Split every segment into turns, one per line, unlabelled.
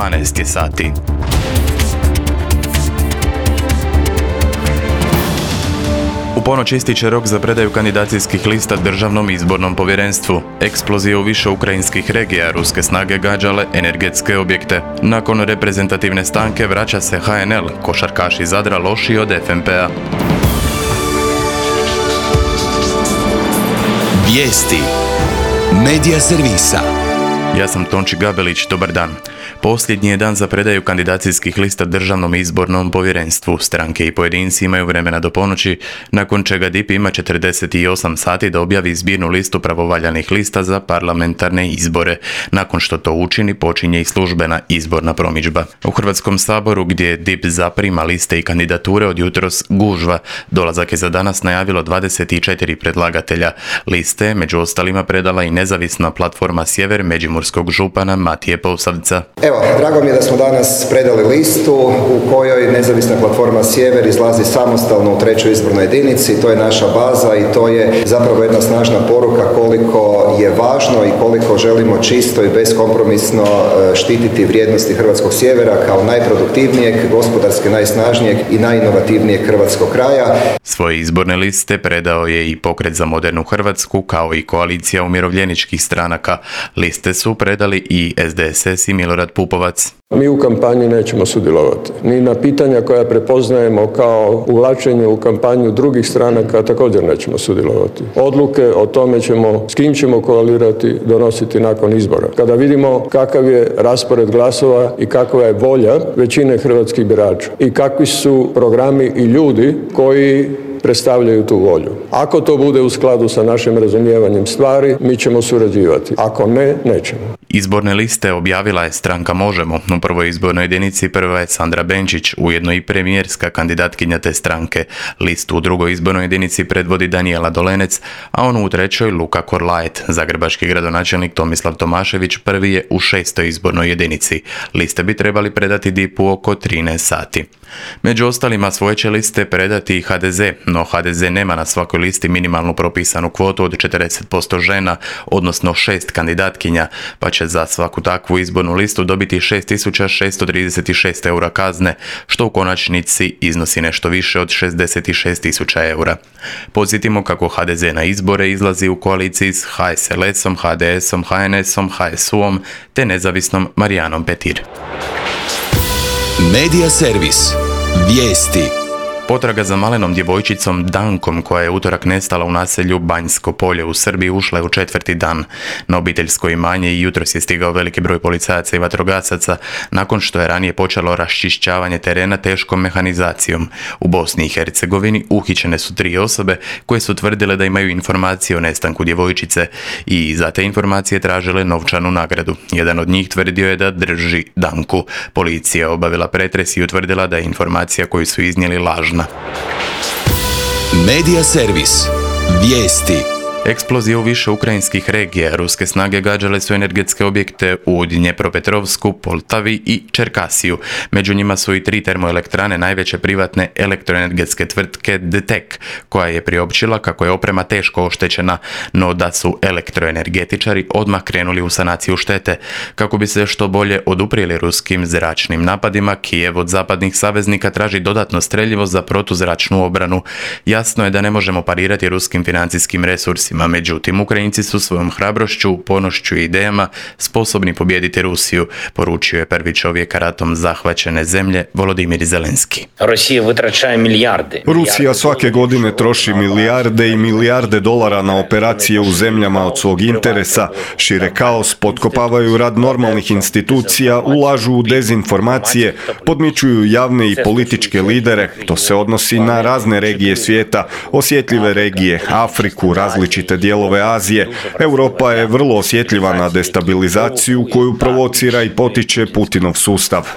12 je sati. U ponoć ističe rok za predaju kandidacijskih lista Državnom izbornom povjerenstvu. Eksplozije u više ukrajinskih regija, ruske snage gađale energetske objekte. Nakon reprezentativne stanke vraća se HNL, košarkaši Zadra lošiji od FNP-a.
Vijesti Medija servisa.
Ja sam Tonči Gabelić, dobar dan. Posljednji je dan za predaju kandidacijskih lista Državnom izbornom povjerenstvu. Stranke i pojedinci imaju vremena do ponoći, nakon čega DIP ima 48 sati da objavi zbirnu listu pravovaljanih lista za parlamentarne izbore. Nakon što to učini, počinje i službena izborna promidžba. U Hrvatskom saboru, gdje DIP zaprima liste i kandidature, od jutros gužva. Dolazak je za danas najavilo 24 predlagatelja. Liste, među ostalima, predala i nezavisna platforma Sjever međimurskog župana Matije Posavca.
Evo, drago mi je da smo danas predali listu u kojoj nezavisna platforma Sjever izlazi samostalno u 3. izbornoj jedinici. To je naša baza i to je zapravo jedna snažna poruka koliko je važno i koliko želimo čisto i beskompromisno štititi vrijednosti Hrvatskog sjevera kao najproduktivnijeg, gospodarski najsnažnijeg i najinovativnijeg hrvatskog kraja.
Svoje izborne liste predao je i Pokret za modernu Hrvatsku, kao i koalicija umirovljeničkih stranaka. Liste su predali i SDSS i Milorad Pupovac.
Mi u kampanji nećemo sudjelovati. Ni na pitanja koja prepoznajemo kao uvlačenje u kampanju drugih stranaka također nećemo sudjelovati. Odluke o tome s kim ćemo koalirati, donositi nakon izbora. Kada vidimo kakav je raspored glasova i kakva je volja većine hrvatskih birača i kakvi su programi i ljudi koji predstavljaju tu volju. Ako to bude u skladu sa našim razumijevanjem stvari, mi ćemo surađivati. Ako ne, nećemo.
Izborne liste objavila je stranka Možemo. U prvoj izbornoj jedinici prva je Sandra Benčić, ujedno i premijerska kandidatkinja te stranke. Listu u drugoj izbornoj jedinici predvodi Danijela Dolenec, a onu u trećoj Luka Korlajet. Zagrebački gradonačelnik Tomislav Tomašević prvi je u 6. izbornoj jedinici. Liste bi trebali predati DIP-u oko 13 sati. Među ostalima svoje će liste predati i HDZ, no HDZ nema na svakoj listi minimalnu propisanu kvotu od 40% žena, odnosno 6 kandidatkinja, pa će za svaku takvu izbornu listu dobiti 6.636 eura kazne, što u konačnici iznosi nešto više od 66.000 eura. Podsjetimo kako HDZ na izbore izlazi u koaliciji s HSLS-om, HDS-om, HNS-om, HSU-om te nezavisnom Marijanom Petir.
Medija servis. Vijesti.
Potraga za malenom djevojčicom Dankom, koja je utorak nestala u naselju Banjsko polje u Srbiji, ušla je u 4. dan. Na obiteljsko imanje i jutros je stigao veliki broj policajaca i vatrogasaca, nakon što je ranije počelo raščišćavanje terena teškom mehanizacijom. U Bosni i Hercegovini uhićene su 3 osobe koje su tvrdile da imaju informacije o nestanku djevojčice i za te informacije tražile novčanu nagradu. Jedan od njih tvrdio je da drži Danku. Policija je obavila pretres i utvrdila da je informacija koju su iznijeli lažna.
Medija servis. Vijesti.
Eksplozije u više ukrajinskih regija. Ruske snage gađale su energetske objekte u Dnjepropetrovsku, Poltavi i Čerkasiju. Među njima su i 3 termoelektrane najveće privatne elektroenergetske tvrtke DTEK, koja je priopćila kako je oprema teško oštećena, no da su elektroenergetičari odmah krenuli u sanaciju štete. Kako bi se što bolje oduprijeli ruskim zračnim napadima, Kijev od zapadnih saveznika traži dodatno streljivo za protuzračnu obranu. Jasno je da ne možemo parirati ruskim financijskim resursima. Međutim, Ukrajinci su svojom hrabrošću, ponošću i idejama sposobni pobijediti Rusiju, poručio je prvi čovjek ratom zahvaćene zemlje Volodimir Zelenski.
Rusija svake godine troši milijarde i milijarde dolara na operacije u zemljama od svog interesa, šire kaos, potkopavaju rad normalnih institucija, ulažu u dezinformacije, podmićuju javne i političke lidere. To se odnosi na razne regije svijeta, osjetljive regije, Afriku, različite dijelove Azije. Europa je vrlo osjetljiva na destabilizaciju koju provocira i potiče Putinov sustav.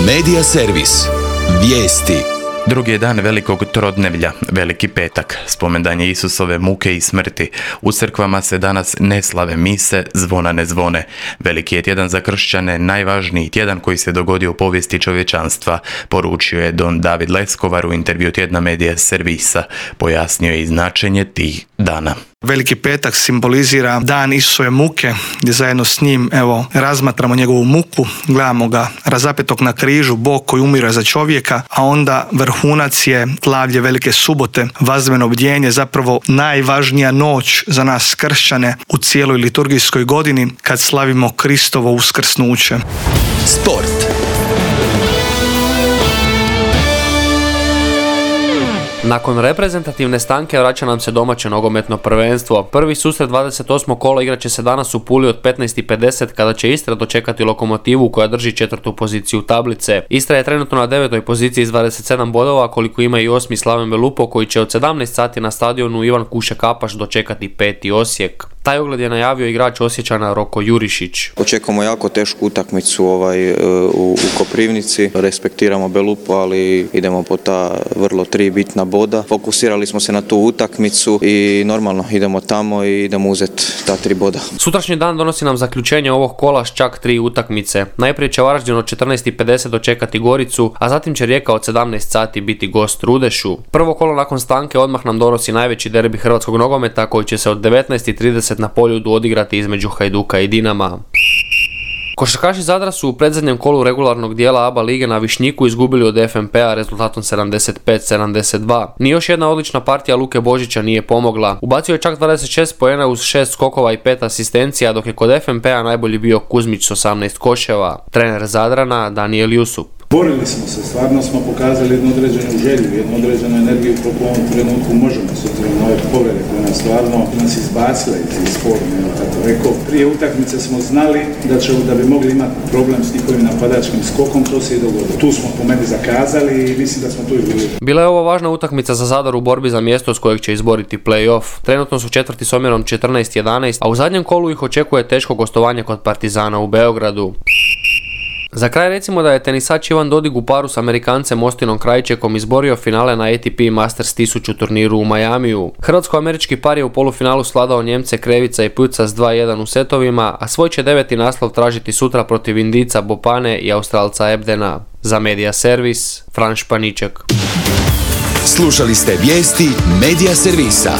Medija servis. Vijesti.
Drugi je dan velikog trodnevlja, Veliki petak, spomendan je Isusove muke i smrti. U crkvama se danas ne slave mise, zvona ne zvone. Veliki je tjedan za kršćane, najvažniji tjedan koji se dogodio u povijesti čovječanstva, poručio je don David Leskovar u intervju tjedna Media Servisa. Pojasnio je i značenje tih dana.
Veliki petak simbolizira dan Isusove muke, gdje zajedno s njim razmatramo njegovu muku, gledamo ga razapetog na križu, Bog koji umire za čovjeka, a onda vrhunac je slavlje Velike subote, vazmeno bdjenje, zapravo najvažnija noć za nas kršćane u cijeloj liturgijskoj godini kad slavimo Kristovo uskrsnuće.
Sport.
Nakon reprezentativne stanke vraća nam se domaće nogometno prvenstvo. Prvi susret 28. kola igraće se danas u Puli od 15:50 kada će Istra dočekati Lokomotivu koja drži 4. poziciju tablice. Istra je trenutno na 9. poziciji s 27 bodova, koliko ima i 8. Slaven Belupo koji će od 17 sati na stadionu Ivan Kuše Kapaš dočekati 5. Osijek. Taj ogled je najavio igrač Osječana Roko Jurišić.
Očekujemo jako tešku utakmicu u Koprivnici. Respektiramo Belupo, ali idemo po ta vrlo 3 bitna boda. Fokusirali smo se na tu utakmicu i normalno idemo tamo i idemo uzeti ta 3 boda.
Sutrašnji dan donosi nam zaključenje ovog kola s čak 3 utakmice. Najprije će Varaždin od 14:50 dočekati Goricu, a zatim će Rijeka od 17 sati biti gost Rudešu. Prvo kolo nakon stanke odmah nam donosi najveći derbi hrvatskog nogometa koji će se od 19:30 na Poljudu odigrati između Hajduka i Dinama. Košarkaši Zadra su u predzadnjem kolu regularnog dijela ABA lige na Višnjiku izgubili od FNP-a rezultatom 75-72. Ni još jedna odlična partija Luke Božića nije pomogla. Ubacio je čak 26 poena uz 6 skokova i 5 asistencija, dok je kod FNP-a najbolji bio Kuzmić s 18 koševa. Trener Zadrana Daniel Jusup.
Borili smo se, stvarno smo pokazali jednu određenu želju, jednu određenu energiju koliko u ovom trenutku možemo, s obzirom na ove povrede koje nas stvarno izbacile iz forme, tako rekao. Prije utakmice smo znali da bi mogli imati problem s njihovim napadačkim skokom, to se i dogodilo. Tu smo po meni zakazali i mislim da smo tu i bili.
Bila je ovo važna utakmica za Zadar u borbi za mjesto s kojeg će izboriti play-off. Trenutno su četvrti s omjerom 14-11, a u zadnjem kolu ih očekuje teško gostovanje kod Partizana u Beogradu. Za kraj recimo da je tenisač Ivan Dodig u paru s Amerikancem Ostinom Krajčekom izborio finale na ATP Masters 1000 turniru u Majamiju. Hrvatsko-američki par je u polufinalu svladao Njemce Krevica i Puca s 2:1 u setovima, a svoj će 9. naslov tražiti sutra protiv Indica Bopane i Australca Ebdena. Za Media Servis, Fran Španiček.
Slušali ste vijesti Media Servisa.